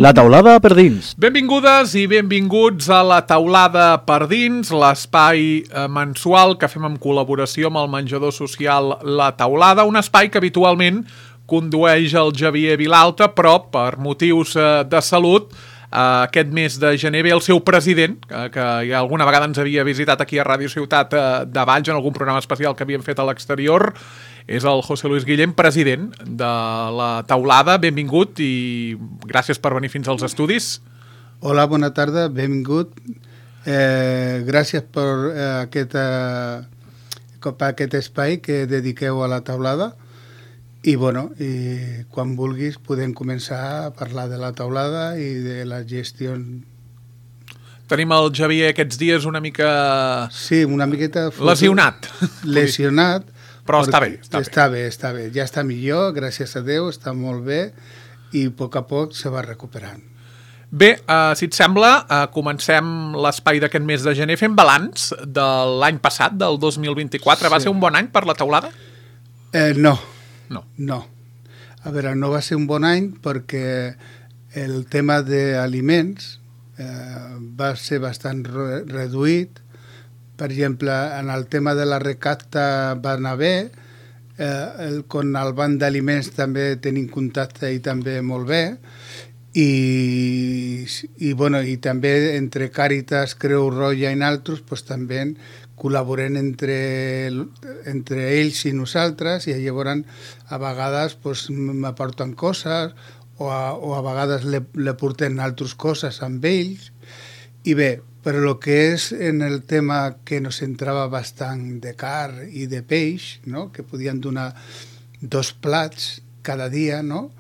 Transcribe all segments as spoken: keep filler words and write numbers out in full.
La taulada per dins. Benvingudes i benvinguts a La taulada per dins, l'espai mensual que fem en col·laboració amb el menjador social La Taulada, un espai que habitualment condueix el Xavier Vilalta, però per motius de salut aquest mes de gener ve el seu president, que ja alguna vegada ens havia visitat aquí a Ràdio Ciutat de Valls en algun programa especial que havíem fet a l'exterior. És el José Luis Guillén, president de La Taulada. Benvingut i gràcies per venir fins als estudis. Hola, bona tarda, benvingut. Eh, gràcies per, eh, aquest, eh, per aquest espai que dediqueu a La Taulada. I, bueno, i quan vulguis podem començar a parlar de La Taulada i de la gestió. Tenim el Xavier aquests dies una mica... Sí, una miqueta... Lesionat. Lesionat. Però està bé, està bé. Està bé, està bé. Ja està millor, gràcies a Déu, està molt bé i a poc a poc se va recuperant. Bé, uh, si et sembla, uh, comencem l'espai d'aquest mes de gener fent balanç de l'any passat, del dos mil vint-i-quatre. Sí. Va ser un bon any per La Taulada? Eh, no. No. No. A veure, no va ser un bon any perquè el tema d'aliments eh, va ser bastant re reduït. Per exemple, en el tema de la recapta va anar bé, eh, el, con el banc d'aliments també tenim contacte i també molt bé, i, i, bueno, i també entre Càritas, Creu Roja i altres pues, també col·laborem entre, entre ells i nosaltres, i llavors a vegades pues, m'aporten coses o a, o a vegades le, le portem altres coses amb ells. I bé, però el que és en el tema que nos entrava bastant de car i de peix, no? Que podien donar dos plats cada dia, no?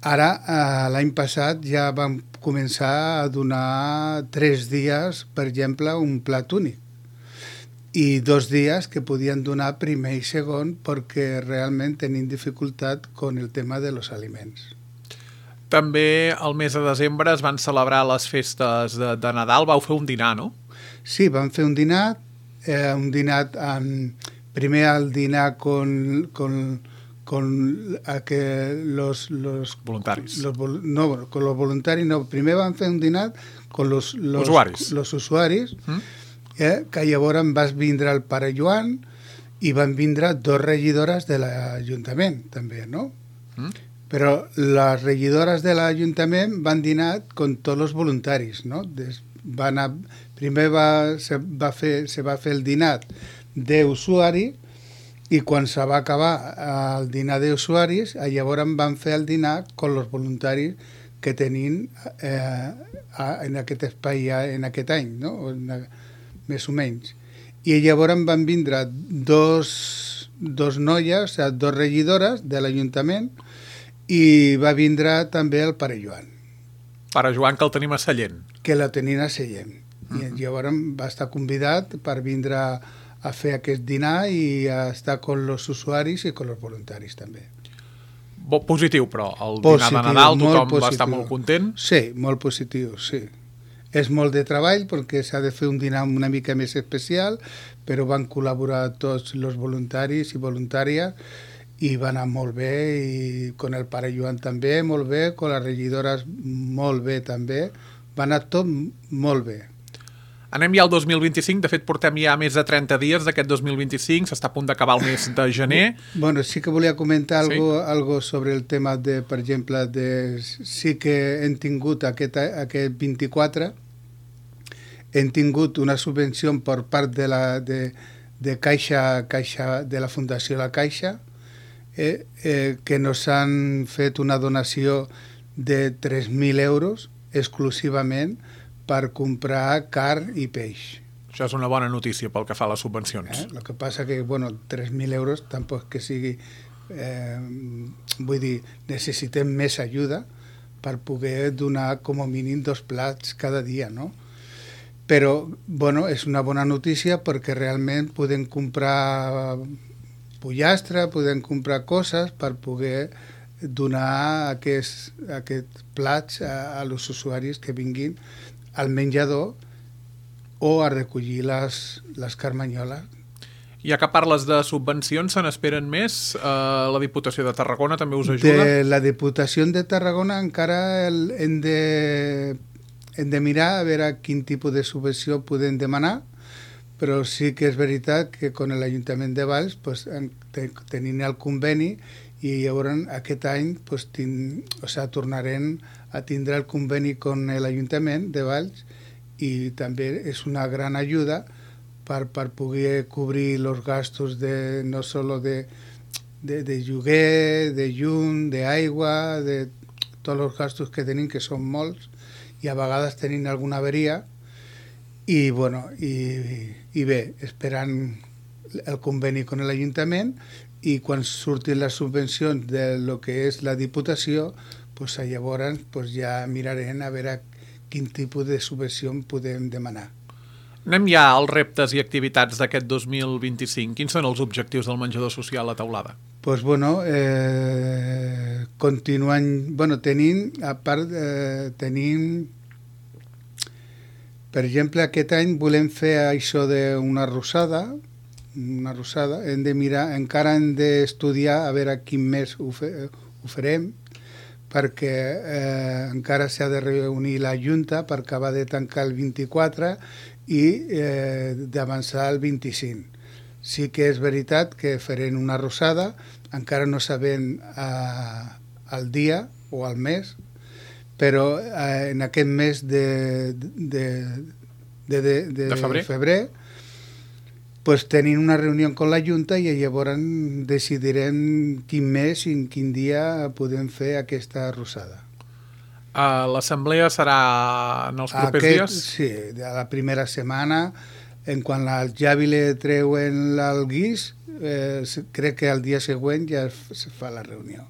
Ara, eh, l'any passat ja vam començar a donar tres dies, per exemple, un plat únic. I dos dies que podien donar primer i segon perquè realment tenim dificultat con el tema de los aliments. També el mes de desembre es van celebrar les festes de, de Nadal. Vau fer un dinar, no? Sí, vam fer un dinar. Eh, un dinar amb, primer el dinar con, con, con a que los, los voluntaris. Los, no, con los voluntarios no. Primer vam fer un dinar con los, los usuaris. Los usuaris mm? eh, que llavors vas vindre el pare Joan i van vindre dos regidores de l'Ajuntament, també, no? Mm? Però les regidores de l'Ajuntament van dinar con tots els voluntaris, no? Des, van a, primer va, se, va fer, se va fer el dinar d'usuari i quan se va acabar el dinar d'usuaris, llavors van fer el dinar con els voluntaris que tenim eh, en aquest espai en aquest any, no? En, més o menys. I llavors van vindre dos, dos noies, o sigui, dos regidores de l'Ajuntament, i va vindre també el pare Joan. Pare Joan, que el tenim a Sallent. Que la tenim a Sallent. Uh -huh. I llavors va estar convidat per vindre a fer aquest dinar i a estar con els usuaris i con els voluntaris també. Bo, positiu, però, el positiu, dinar de Nadal, tothom positiu. Va estar molt content? Sí, molt positiu, sí. És molt de treball perquè s'ha de fer un dinar una mica més especial, però van col·laborar tots els voluntaris i voluntàries i va anar molt bé, i con el pare Joan també molt bé, con les regidores molt bé també, va anar tot molt bé. Anem ja al dos mil vint-i-cinc, de fet portem ja més de trenta dies d'aquest dos mil vint-i-cinc, s'està a punt d'acabar el mes de gener. Bueno, sí que volia comentar sí? algo, algo sobre el tema de, per exemple, de, sí que hem tingut aquest, aquest vint-i-quatre, hem tingut una subvenció per part de la de, de Caixa, Caixa, de la Fundació La Caixa, Eh, eh, que nos han fet una donació de tres mil euros exclusivament per comprar carn i peix. Això és una bona notícia pel que fa a les subvencions. Eh? El que passa que, bueno, tres mil euros tampoc que sigui... Eh, vull dir, necessitem més ajuda per poder donar com a mínim dos plats cada dia, no? Però, bueno, és una bona notícia perquè realment podem comprar pollastre, podem comprar coses per poder donar aquests, aquests plats a, a els usuaris que vinguin al menjador o a recollir les, les carmanyoles. Ja que parles de subvencions, se n'esperen més? Uh, la Diputació de Tarragona també us ajuda? De la Diputació de Tarragona encara el, hem, de, hem de mirar a veure quin tipus de subvenció podem demanar, però sí que és veritat que con l'Ajuntament de Valls pues, tenim el conveni i llavors aquest any pues, tin, o sea, tornarem a tindre el conveni con l'Ajuntament de Valls i també és una gran ajuda per, per poder cobrir els gastos de, no solo de, de, de lloguer, de llum, d'aigua, de tots els gastos que tenim, que són molts, i a vegades tenim alguna averia, i, bueno, i, i bé, esperant el conveni amb l'Ajuntament i quan surtin les subvencions de lo que és la Diputació, pues, llavors pues, ja mirarem a veure quin tipus de subvenció podem demanar. Anem ja als reptes i activitats d'aquest dos mil vint-i-cinc. Quins són els objectius del menjador social a Teulada? Pues bueno, eh, continuant, bueno, tenim, a part, eh, tenim, per exemple, aquest any volem fer això d'una rosada, una rosada, hem de mirar, encara hem d'estudiar a veure quin mes ho, fe, ho farem, perquè eh, encara s'ha de reunir la Junta per acabar de tancar el vint-i-quatre i eh, d'avançar el vint-i-cinc. Sí que és veritat que farem una rosada, encara no sabem eh, el dia o el mes, però eh, en aquest mes de, de, de, de, de, de febrer, febrer pues, tenim una reunió amb la Junta i llavors decidirem quin mes i en quin dia podem fer aquesta rosada. Uh, L'assemblea serà en els propers Aquest, dies? Sí, de la primera setmana, en quan al Javi le treuen el guix, eh, crec que el dia següent ja es fa la reunió.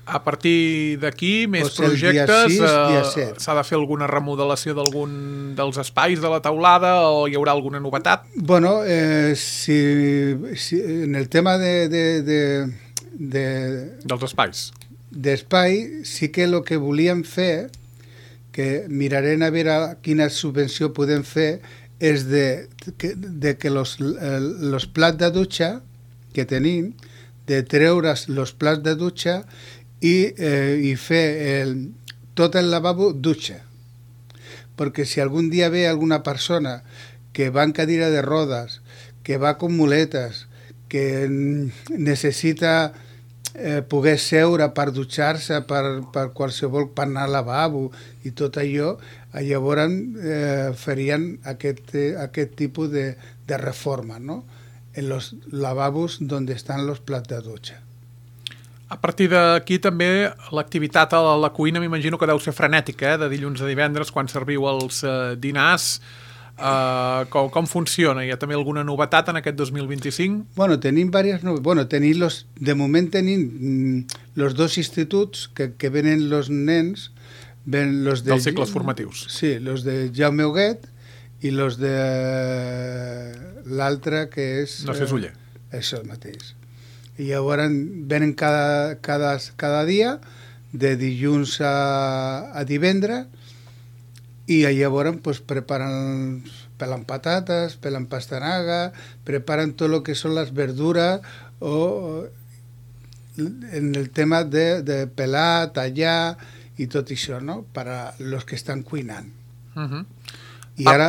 A partir d'aquí, més Pues el dia projectes, sis, dia eh, set. s'ha de fer alguna remodelació d'algun dels espais de la teulada o hi haurà alguna novetat? Bueno, eh, si, si, en el tema de, de, de, de, Dels espais? d'espai, sí que el que volíem fer, que mirarem a veure quina subvenció podem fer, és de que, de que los, los plats de dutxa que tenim, de treure's els plats de dutxa i, eh, i fer el, tot el lavabo dutxa. Perquè si algun dia ve alguna persona que va en cadira de rodes, que va con muletes, que necessita eh, poder seure per dutxar-se, per, per qualsevol, per anar al lavabo i tot allò, llavors eh, farien aquest, eh, aquest tipus de, de reforma, no? En los lavabos donde están los plats de dutxa. A partir d'aquí també l'activitat a la cuina m'imagino que deu ser frenètica, eh? De dilluns a divendres quan serviu els eh, dinars. Uh, com, com funciona? Hi ha també alguna novetat en aquest dos mil vint-i-cinc? Bueno, tenim diverses novetats. Bueno, tenim los, de moment tenim mm, los dos instituts que, que venen los nens, ven los de, dels cicles formatius. Sí, los de Jaume Huguet i los de l'altre que és... No sé, Uller. Eh, això mateix. I llavors venen cada, cada, cada dia, de dilluns a, a divendres, i llavors pues, preparen, pelen patates, pelen pastanaga, preparen tot el que són les verdures, o en el tema de, de pelar, tallar i tot això, no? Per a los que estan cuinant. Uh-huh. I ara,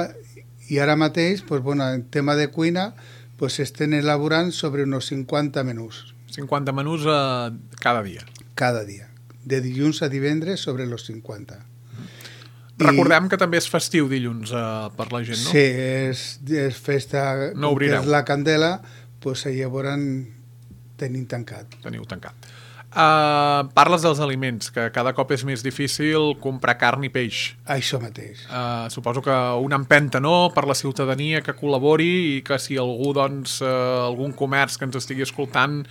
i ara mateix, pues, bueno, en tema de cuina, pues, estem elaborant sobre uns cinquanta menús. cinquanta menús eh, cada dia. Cada dia. De dilluns a divendres sobre los cinquanta. Recordem I, que també és festiu dilluns eh, per la gent, no? Sí, és, és festa, no que és la Candela, pues, llavors tenim tancat. Teniu tancat. Uh, parles dels aliments, que cada cop és més difícil comprar carn i peix. Això mateix. Uh, suposo que una empenta, no?, per la ciutadania que col·labori i que si algú, doncs, uh, algun comerç que ens estigui escoltant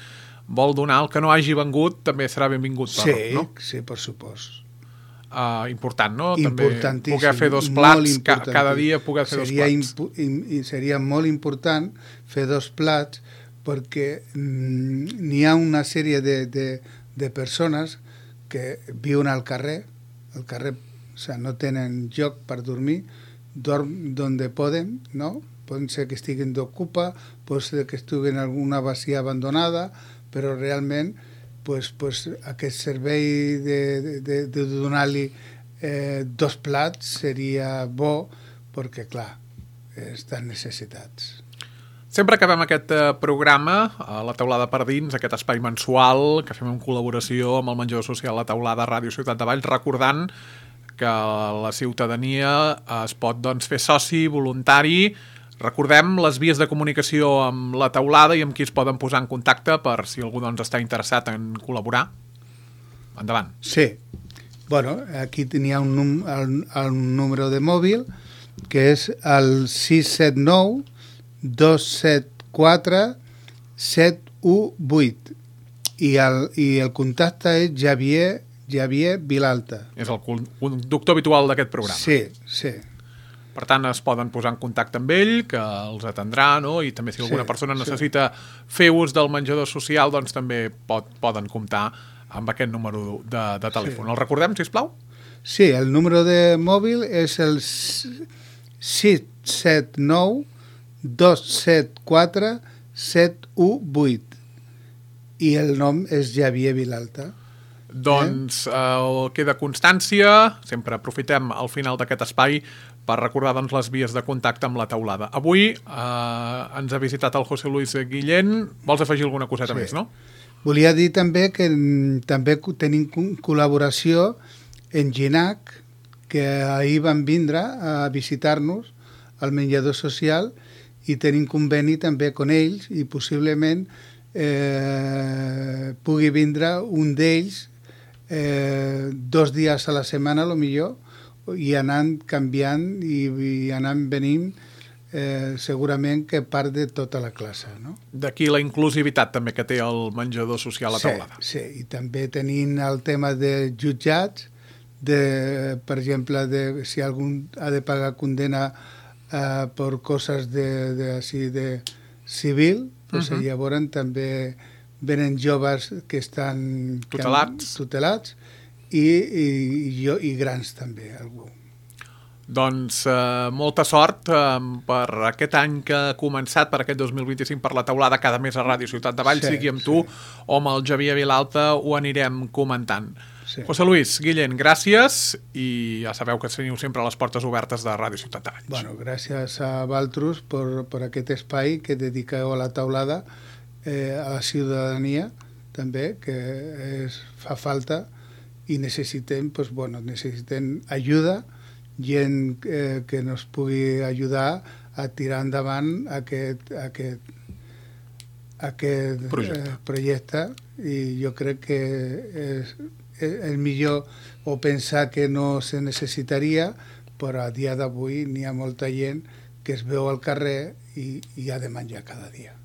vol donar el que no hagi vengut, també serà benvingut. Sí, per, no? sí, per supost. Uh, important, no? Importantíssim. També poder fer dos plats, ca cada dia poder fer seria dos plats. I seria molt important fer dos plats perquè mm, n'hi ha una sèrie de, de, de persones que viuen al carrer, al carrer, o sea, no tenen lloc per dormir, dorm donde poden, no? poden ser que estiguin d'ocupa, pot ser que estiguin en alguna bacia abandonada, però realment pues, pues, aquest servei de, de, de, de donar-li eh, dos plats seria bo, perquè, clar, estan necessitats. Sempre acabem aquest eh, programa, a La Teulada per Dins, aquest espai mensual que fem en col·laboració amb el menjador social La Teulada Ràdio Ciutat de Valls, recordant que la ciutadania es pot doncs, fer soci, voluntari. Recordem les vies de comunicació amb La Teulada i amb qui es poden posar en contacte per si algú doncs, està interessat en col·laborar. Endavant. Sí. Bueno, aquí tenia un, num el, el número de mòbil, que és el sis set nou dos set quatre set u vuit i el, i el contacte és Javier, Javier Vilalta. És el conductor habitual d'aquest programa. Sí, sí. Per tant, es poden posar en contacte amb ell, que els atendrà, no? I també si alguna sí, persona necessita sí. fer ús del menjador social, doncs també pot, poden comptar amb aquest número de, de telèfon. Sí. El recordem, sisplau? Sí, el número de mòbil és el sis set nou dos set quatre set u vuit i el nom és Javier Vilalta. Doncs eh, queda constància, sempre aprofitem al final d'aquest espai per recordar doncs, les vies de contacte amb La Teulada. Avui eh, ens ha visitat el José Luis Guillén. Vols afegir alguna coseta sí. més, no? Volia dir també que també tenim col·laboració en Ginac, que ahir van vindre a visitar-nos al menjador social i tenim conveni també amb ells i possiblement eh, pugui vindre un d'ells eh, dos dies a la setmana, a lo millor, i anant canviant i, i anant venint eh, segurament que part de tota la classe. No? D'aquí la inclusivitat també que té el menjador social La Teulada. Sí, sí, i també tenim el tema de jutjats, de, per exemple, de, si algú ha de pagar condena Uh, per coses de, de, així, de civil, pues, uh -huh. llavors també venen joves que estan tutelats, que, tutelats i, i, i, jo, i grans també, algú. Doncs eh, molta sort eh, per aquest any que ha començat, per aquest dos mil vint-i-cinc, per La Teulada, cada mes a Ràdio Ciutat de Valls, sí, sigui amb tu sí. o amb el Javier Vilalta, ho anirem comentant. Sí. José Luis Guillén, gràcies i ja sabeu que teniu sempre les portes obertes de Ràdio Ciutat de Valls. Bueno, gràcies a Valtros per, per aquest espai que dediqueu a La Teulada, eh, a la ciutadania també, que es, fa falta i necessitem, pues, bueno, necessitem ajuda, gent eh, que nos pugui ajudar a tirar endavant aquest, aquest, aquest projecte. Eh, projecte i jo crec que és el millor o pensar que no se necessitaria, però a dia d'avui n'hi ha molta gent que es veu al carrer i, i ha de menjar cada dia.